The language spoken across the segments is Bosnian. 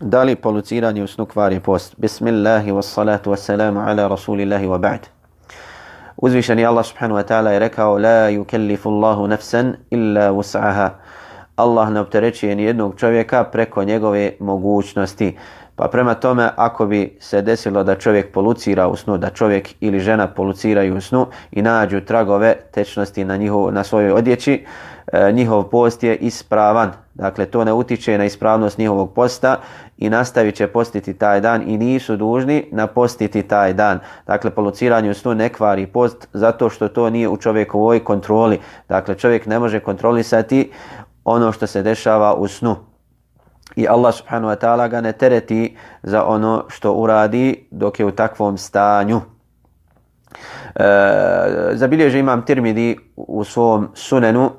Da li poluciranje u snu kvari post? Bismillahi wassalatu wassalamu ala rasulillahi wa ba'd. Uzvišeni Allah subhanahu wa ta'ala je rekao: La yukellifu Allahu nafsan illa wus'aha. Allah ne opterećuje ni jednog čovjeka preko njegove mogućnosti. Pa prema tome, ako bi se desilo da čovjek polucira u snu, da čovjek ili žena poluciraju u snu i nađu tragove tečnosti na svojoj odjeći, njihov post je ispravan. Dakle, to ne utiče na ispravnost njihovog posta i nastavit će postiti taj dan i nisu dužni napostiti taj dan. Dakle, poluciranje u snu ne kvari post zato što to nije u čovjekovoj kontroli. Dakle, čovjek ne može kontrolisati ono što se dešava u snu. I Allah subhanahu wa ta'ala ga ne tereti za ono što uradi dok je u takvom stanju. Zabilježi imam Tirmidi u svom sunenu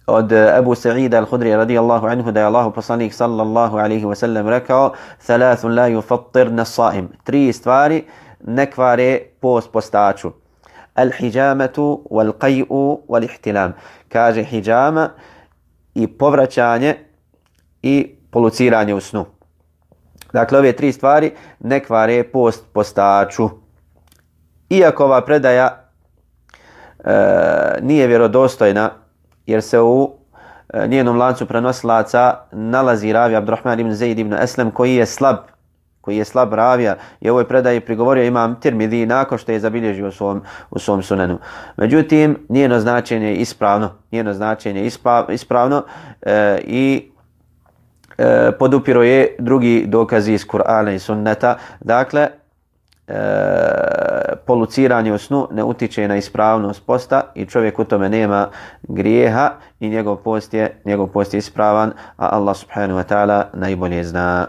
od Ebu Sa'ida al-Hudri radijallahu anhu da je Allahu poslanik sallallahu alaihi wa sallam rekao: Thalathun la yufattirna as-sa'im. 3 stvari ne kvare post postaču. Al-hijamatu, wal-qay'u, wal-ihtilam. Kaže hijama i povraćanje i poluciranje u snu. Dakle, ove 3 stvari ne kvare post postaču. Iako ova predaja nije vjerodostojna, jer se u njenom lancu prenosilaca nalazi ravija Abdurrahman ibn Zaid ibn Aslam koji je slab ravija i ovoj predaji prigovorio imam Tirmidi nakon što je zabilježio u svom sunenu. Međutim, njeno značenje je ispravno, i podupiro je drugi dokazi iz Kur'ana i sunneta. Dakle, poluciranje u snu ne utiče na ispravnost posta i čovjek u tome nema grijeha i njegov post je ispravan, a Allah subhanahu wa ta'ala najbolje zna.